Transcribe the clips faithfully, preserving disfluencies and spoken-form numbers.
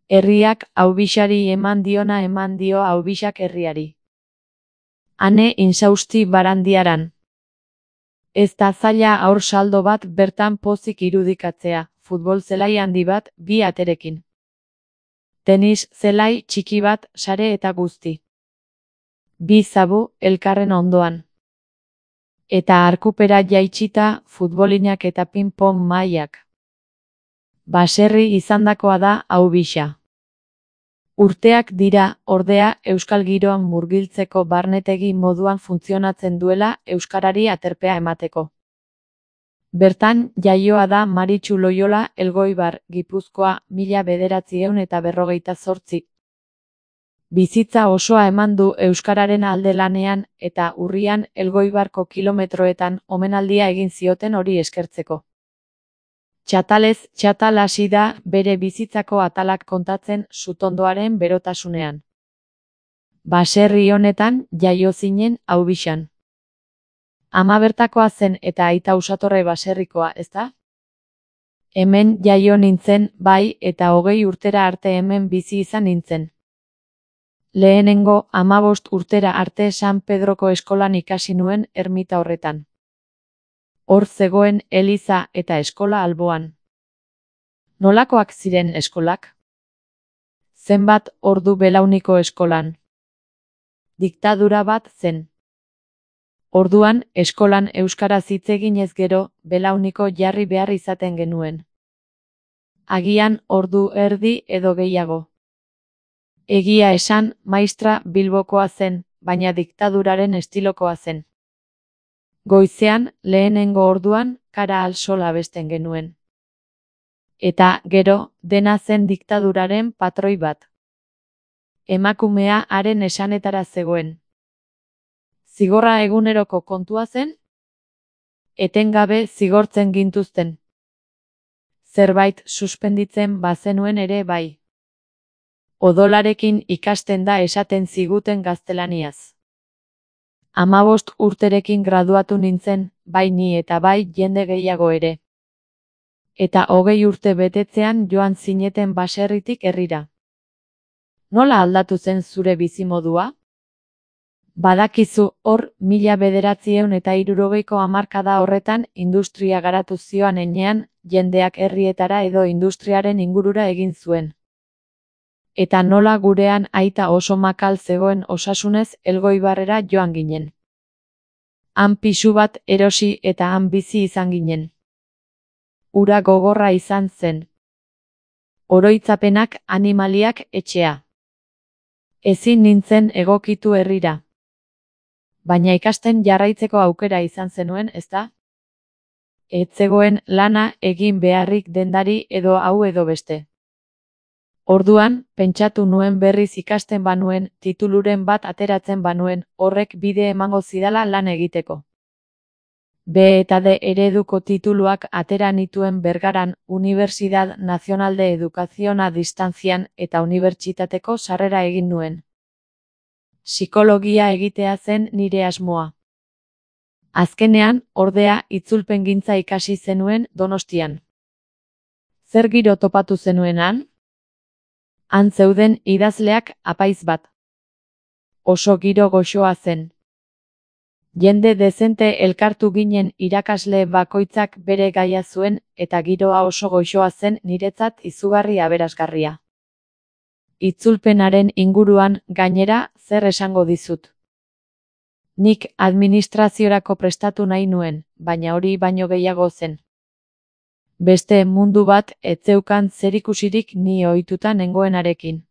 Herriak Haubixari eman diona eman dio Haubixak herriari. Ane insausti Barandiaran. Ez da zaila haur saldo bat bertan pozik irudikatzea, futbol zelai handi bat, bi aterekin. Tenis zelai txiki bat, sare eta guzti. Bi zabu, elkarren ondoan. Eta arkupera jaitsita, futbolinak eta ping-pong mailak. Baserri izandakoa da Haubixa. Urteak dira, ordea, euskal giroan murgiltzeko barnetegi moduan funtzionatzen duela euskarari aterpea emateko. Bertan, jaioa da Maritxu Loiola Elgoibar, Gipuzkoa, mila bederatziehun eta berrogeita zortzi. Bizitza osoa eman du euskararen alde lanean eta urrian Elgoibarko kilometroetan omenaldia egin zioten hori eskertzeko. Txatalez txatal hasi da bere bizitzako atalak kontatzen sutondoaren berotasunean. Baserri honetan jaio zinen Haubixan. Ama bertakoa zen eta aita Usatorre baserrikoa, ezta? Hemen jaio nintzen, bai, eta hogei urtera arte hemen bizi izan nintzen. Lehenengo hamabost urtera arte San Pedroko eskolan ikasi nuen ermita horretan. Hor zegoen eliza eta eskola alboan. Nolakoak ziren eskolak? Zenbat ordu belauniko eskolan? Diktadura bat zen. Orduan, eskolan euskaraz hitz eginez gero, belauniko jarri behar izaten genuen. Agian ordu erdi edo gehiago. Egia esan, maistra Bilbokoa zen, baina diktaduraren estilokoa zen. Goizean, lehenengo orduan, kara al sol abesten genuen. Eta, gero, dena zen diktaduraren patroi bat. Emakumea haren esanetara zegoen. Zigorra eguneroko kontua zen? Etengabe zigortzen gintuzten. Zerbait suspenditzen bazenuen ere bai. Odolarekin ikasten da esaten ziguten gaztelaniaz. Hamabost urterekin graduatu nintzen, bai ni eta bai jende gehiago ere. Eta hogei urte betetzean joan zineten baserritik herrira. Nola aldatu zen zure bizimodua? Badakizu hor mila bederatziehun eta hirurogeiko hamarkada horretan industria garatu zioan enean, jendeak herrietara edo industriaren ingurura egin zuen. Eta nola gurean aita oso makal zegoen osasunez Elgoibarrera joan ginen. Han pisu bat erosi eta han bizi izan ginen. Ura gogorra izan zen. Oroitzapenak animaliak etxea. Ezin nintzen egokitu herrira. Baina ikasten jarraitzeko aukera izan zenuen, ezta? Ez zegoen lana egin beharrik dendari edo hau edo beste. Orduan, pentsatu nuen berriz ikasten banuen, tituluren bat ateratzen banuen, horrek bide emango zidala lan egiteko. B eta D ereduko tituluak atera nituen Bergaran, Universidad Nacional de Educación a Distancian eta unibertsitateko sarrera egin nuen. Psikologia egitea zen nire asmoa. Azkenean, ordea, itzulpengintza ikasi zenuen Donostian. Zer giro topatu zenuenan? Han zeuden idazleak apaiz bat. Oso giro goxoa zen. Jende dezente elkartu ginen irakasle bakoitzak bere gaia zuen eta giroa oso goxoa zen niretzat izugarri aberasgarria. Itzulpenaren inguruan, gainera, zer esango dizut. Nik administraziorako prestatu nahi nuen, baina hori baino gehiago zen. Beste mundu bat ez zeukan zerikusirik ni ohituta nengoenarekin.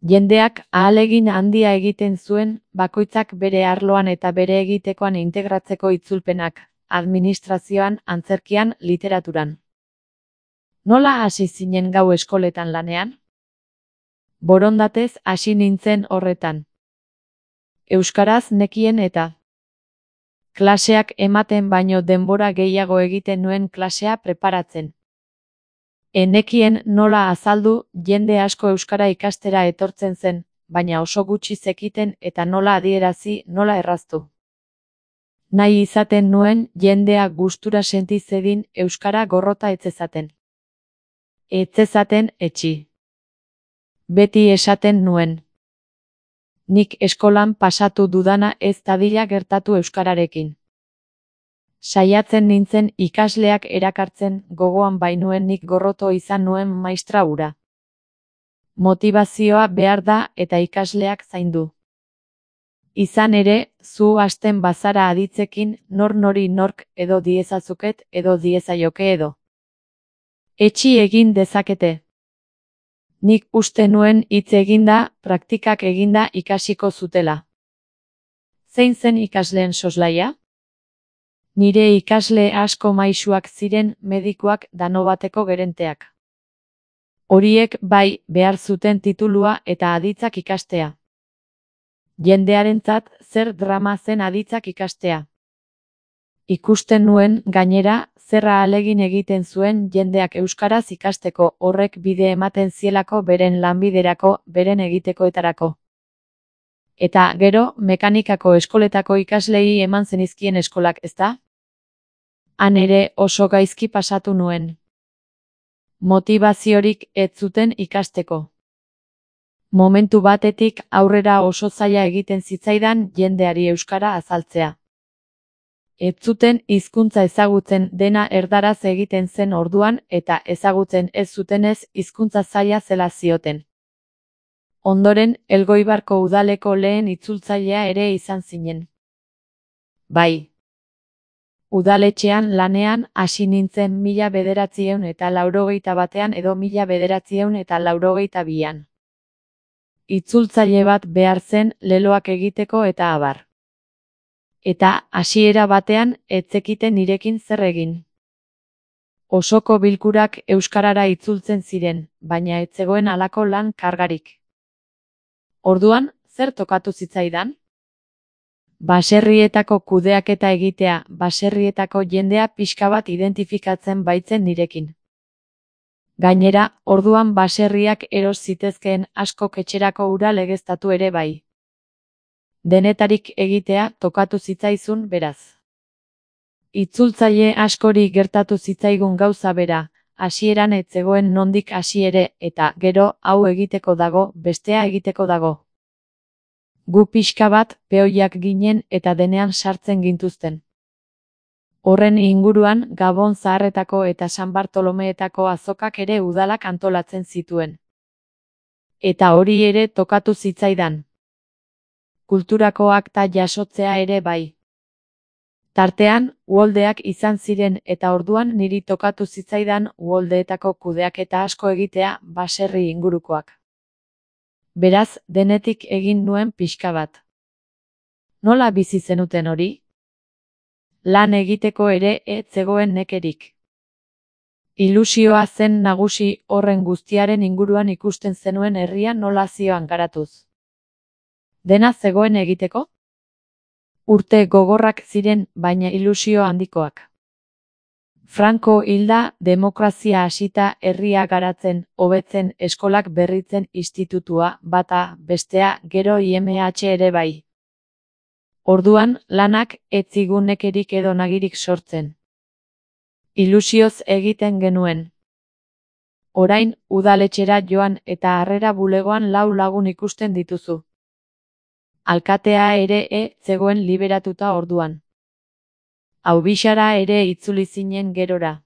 Jendeak ahalegin handia egiten zuen, bakoitzak bere arloan eta bere egitekoan integratzeko itzulpenak, administrazioan, antzerkian, literaturan. Nola hasi zinen gau eskoletan lanean? Borondatez hasi nintzen horretan. Euskaraz nekien eta klaseak ematen baino denbora gehiago egiten nuen klasea preparatzen. Enekien nola azaldu, jende asko euskara ikastera etortzen zen, baina oso gutxi zekiten eta nola adierazi, nola erraztu. Nahi izaten nuen jendea gustura senti zedin euskara gorrota etzezaten. Etzezaten etxi. Beti esaten nuen. Nik eskolan pasatu dudana ez dadila gertatu euskararekin. Saiatzen nintzen ikasleak erakartzen, gogoan bainuen nik gorroto izan nuen maistra hura. Motibazioa behar da eta ikasleak zaindu. Izan ere, zu hasten bazara aditzekin, nor nori nork edo diezazuket edo diezaioke edo. Etxi egin dezakete. Nik uste nuen hitz eginda, praktikak eginda ikasiko zutela. Zein zen ikasleen soslaia? Nire ikasle asko maisuak ziren, medikuak, Danobateko gerenteak. Horiek bai behar zuten titulua eta aditzak ikastea. Jendearentzat zer drama zen aditzak ikastea. Ikusten nuen, gainera, zerra ahalegin egiten zuen jendeak euskaraz ikasteko, horrek bide ematen zielako beren lanbiderako, beren egitekoetarako. Eta gero, mekanikako eskoletako ikaslei eman zenizkien eskolak, ezta? Han ere oso gaizki pasatu nuen. Motibaziorik ez zuten ikasteko. Momentu batetik aurrera oso zaila egiten zitzaidan jendeari euskara azaltzea. Ez zuten hizkuntza ezagutzen, dena erdaraz egiten zen orduan eta ezagutzen ez zutenez hizkuntza zaila zela zioten. Ondoren, Elgoibarko udaleko lehen itzultzailea ere izan zinen. Bai. Udaletxean lanean hasi nintzen mila bederatziehun eta laurogeita batean edo mila bederatziehun eta laurogeita bian. Itzultzaile bat behar zen leloak egiteko eta abar. Eta hasiera batean ez zekiten nirekin zer egin. Osoko bilkurak euskarara itzultzen ziren, baina ez zegoen halako lan kargarik. Orduan, zer tokatu zitzaidan? Baserrietako kudeaketa egitea, baserrietako jendea pixka bat identifikatzen baitzen nirekin. Gainera, orduan baserriak eros zitezkeen askok etxerako ura legeztatu ere bai. Denetarik egitea tokatu zitzaizun beraz. Itzultzaile askori gertatu zitzaigun gauza bera, hasieran ez zegoen nondik hasi ere, eta gero hau egiteko dago, bestea egiteko dago. Gu pixka bat peoiak ginen eta denean sartzen gintuzten. Horren inguruan Gabon Zaharretako eta San Bartolomeetako azokak ere udalak antolatzen zituen. Eta hori ere tokatu zitzaidan. Kulturako akta jasotzea ere bai. Tartean, uholdeak izan ziren eta orduan niri tokatu zitzaidan uholdeetako kudeaketa asko egitea baserri ingurukoak. Beraz, denetik egin nuen pixka bat. Nola bizi zenuten hori? Lan egiteko ere ez zegoen nekerik. Ilusioa zen nagusi horren guztiaren inguruan ikusten zenuen herria nola zioan garatuz. Dena zegoen egiteko? Urte gogorrak ziren, baina ilusio handikoak. Franco hilda, demokrazia hasita, herria garatzen, hobetzen, eskolak berritzen, institutua, bata, bestea, gero I M H ere bai. Orduan, lanak ez zigun nekerik edo nagirik sortzen. Ilusioz egiten genuen. Orain, udaletxera joan eta harrera bulegoan lau lagun ikusten dituzu. Alkatea ere e zegoen liberatuta orduan. Aubixara ere itzuli zinen gerora.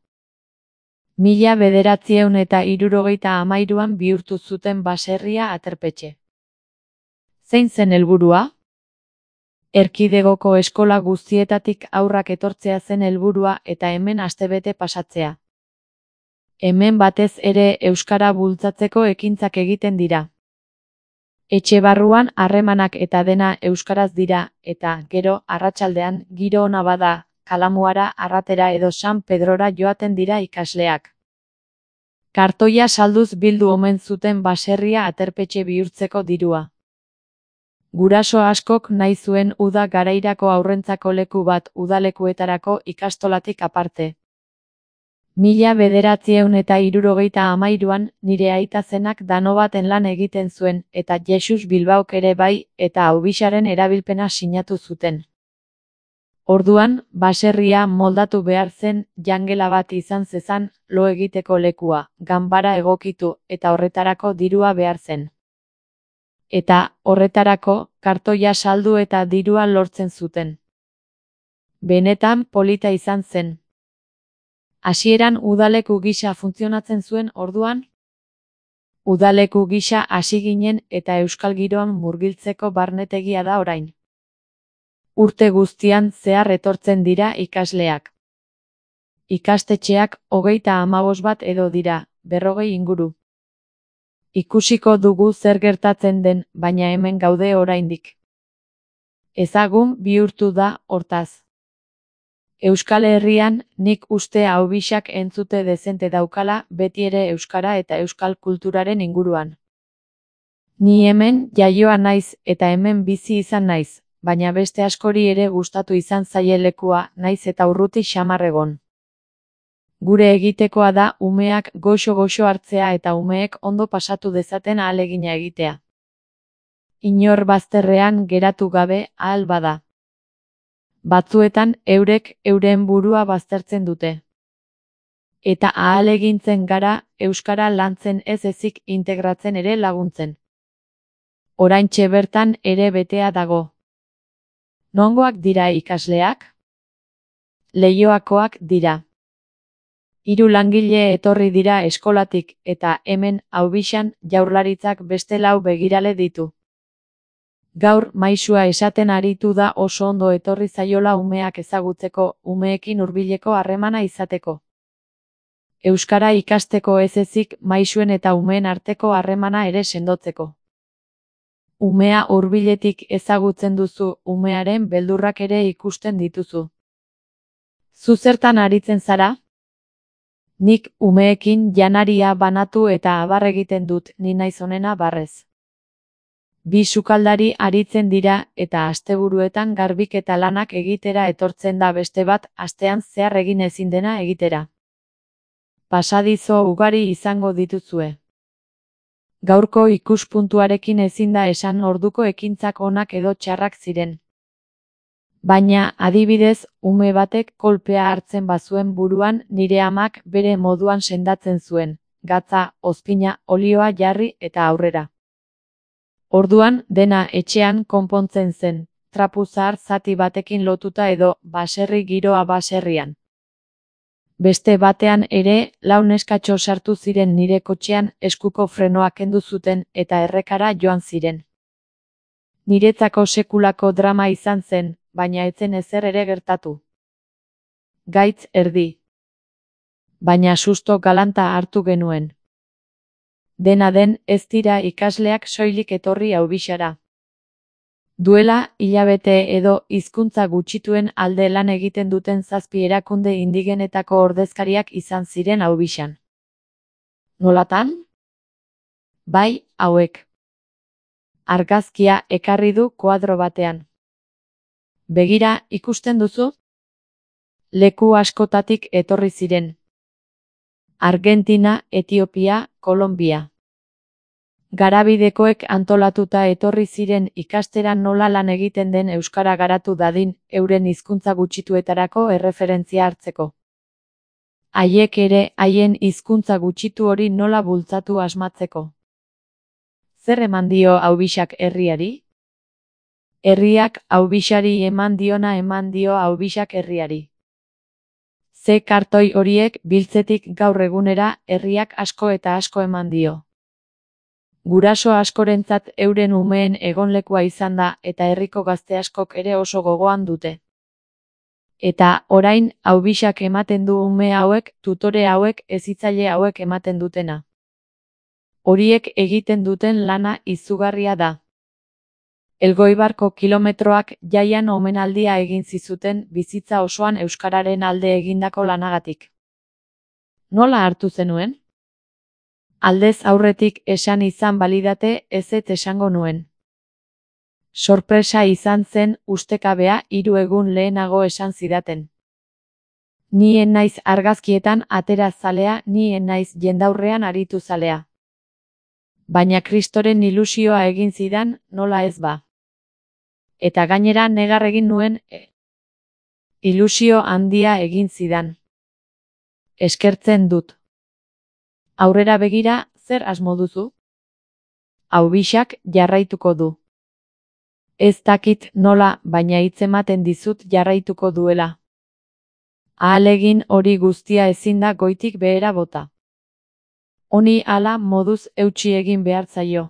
Mila bederatziehun eta hirurogeita hamairuan bihurtu zuten baserria aterpetxe. Zein zen helburua? Erkidegoko eskola guztietatik haurrak etortzea zen helburua eta hemen astebete pasatzea. Hemen batez ere euskara bultzatzeko ekintzak egiten dira. Etxe barruan harremanak eta dena euskaraz dira, eta gero arratsaldean giro ona bada, Kalamuara, Arratera edo San Pedrora joaten dira ikasleak. Kartoia salduz bildu omen zuten baserria aterpetxe bihurtzeko dirua. Guraso askok nahi zuen uda garairako aurrentzako leku bat udalekuetarako ikastolatik aparte. Mila bederatziehun eta hirurogeita hamairuan nire aita zenak Danobaten lan egiten zuen eta Jesus Bilbaok ere bai eta Aubixaren erabilpena sinatu zuten. Orduan, baserria moldatu behar zen, jangela bat izan zezan, lo egiteko lekua, ganbara egokitu eta horretarako dirua behar zen. Eta, horretarako, kartoia saldu eta dirua lortzen zuten. Benetan polita izan zen. Hasieran udaleku gisa funtzionatzen zuen orduan? Udaleku gisa hasi ginen eta euskal giroan murgiltzeko barnetegia da orain. Urte guztian zehar etortzen dira ikasleak. Ikastetxeak hogeita hamabost bat edo dira, berrogei inguru. Ikusiko dugu zer gertatzen den, baina hemen gaude oraindik. Ezagun bihurtu da, hortaz. Euskal Herrian, nik uste Aubixak entzute dezente daukala beti ere euskara eta euskal kulturaren inguruan. Ni hemen jaioa naiz eta hemen bizi izan naiz, baina beste askori ere gustatu izan zaie lekua, naiz eta urruti xamar egon. Gure egitekoa da umeak goxo-goxo hartzea eta umeek ondo pasatu dezaten ahalegina egitea. Inor bazterrean geratu gabe ahal bada. Batzuetan eurek euren burua baztertzen dute. Eta ahalegintzen gara euskara lantzen ez ezik integratzen ere laguntzen. Oraintxe bertan ere betea dago. Nongoak dira ikasleak? Leioakoak dira. Hiru langile etorri dira eskolatik eta hemen Aubixan Jaurlaritzak beste lau begirale ditu. Gaur maisua esaten aritu da oso ondo etorri zaiola umeak ezagutzeko, umeekin hurbileko harremana izateko. Euskara ikasteko ez ezik maisuen eta umeen arteko harremana ere sendotzeko. Umea hurbiletik ezagutzen duzu, umearen beldurrak ere ikusten dituzu. Zu zertan aritzen zara? Nik umeekin janaria banatu eta abar egiten dut, ni naiz onena barrez. Bi sukaldari aritzen dira eta asteburuetan garbiketa lanak egitera etortzen da beste bat astean zehar egin ezin dena egitera. Pasadizo ugari izango dituzue. Gaurko ikuspuntuarekin ezin da esan orduko ekintzak onak edo txarrak ziren. Baina, adibidez, ume batek kolpea hartzen bazuen buruan nire amak bere moduan sendatzen zuen, gatza, ozpina, olioa jarri eta aurrera. Orduan, dena etxean konpontzen zen, trapu zahar zati batekin lotuta edo baserri giroa baserrian. Beste batean ere, lau neskatxo sartu ziren nire kotxean eskuko frenoa kendu zuten eta errekara joan ziren. Niretzako sekulako drama izan zen, baina etzen ezer ere gertatu. Gaitz erdi. Baina susto galanta hartu genuen. Dena den, ez dira ikasleak soilik etorri Aubixara. Duela, hilabete edo hizkuntza gutxituen alde lan egiten duten zazpi erakunde indigenetako ordezkariak izan ziren Aubixan. Nolatan? Bai, hauek. Argazkia ekarri du koadro batean. Begira, ikusten duzu? Leku askotatik etorri ziren. Argentina, Etiopia, Kolonbia. Garabidekoek antolatuta etorri ziren ikastera nola lan egiten den euskara garatu dadin, euren hizkuntza gutxituetarako erreferentzia hartzeko. Haiek ere, haien hizkuntza gutxitu hori nola bultzatu asmatzeko. Zer eman dio Aubixak herriari? Herriak Aubixari eman diona eman dio Aubixak herriari. Ze kartoi horiek biltzetik gaur egunera herriak asko eta asko eman dio. Guraso askorentzat euren umeen egonlekua izan da eta herriko gazte askok ere oso gogoan dute. Eta, orain, Aubixak ematen du ume hauek, tutore hauek, hezitzaile hauek ematen dutena. Horiek egiten duten lana izugarria da. Elgoibarko kilometroak jaian omenaldia egin zizuten bizitza osoan euskararen alde egindako lanagatik. Nola hartu zenuen? Aldez aurretik esan izan balidate ezetz esango nuen. Sorpresa izan zen ustekabea hiru egun lehenago esan zidaten. Nien naiz argazkietan atera zalea, nien naiz jendaurrean aritu zalea. Baina Kristoren ilusioa egin zidan, nola ez ba. Eta gainera negar egin nuen, e, ilusio handia egin zidan. Eskertzen dut. Aurrera begira, zer asmo duzu? Aubixak jarraituko du. Ez dakit nola, baina hitzematen dizut jarraituko duela. Ahalegin hori guztia ezin da goitik behera bota. Honi hala moduz eutsi egin behar zaio.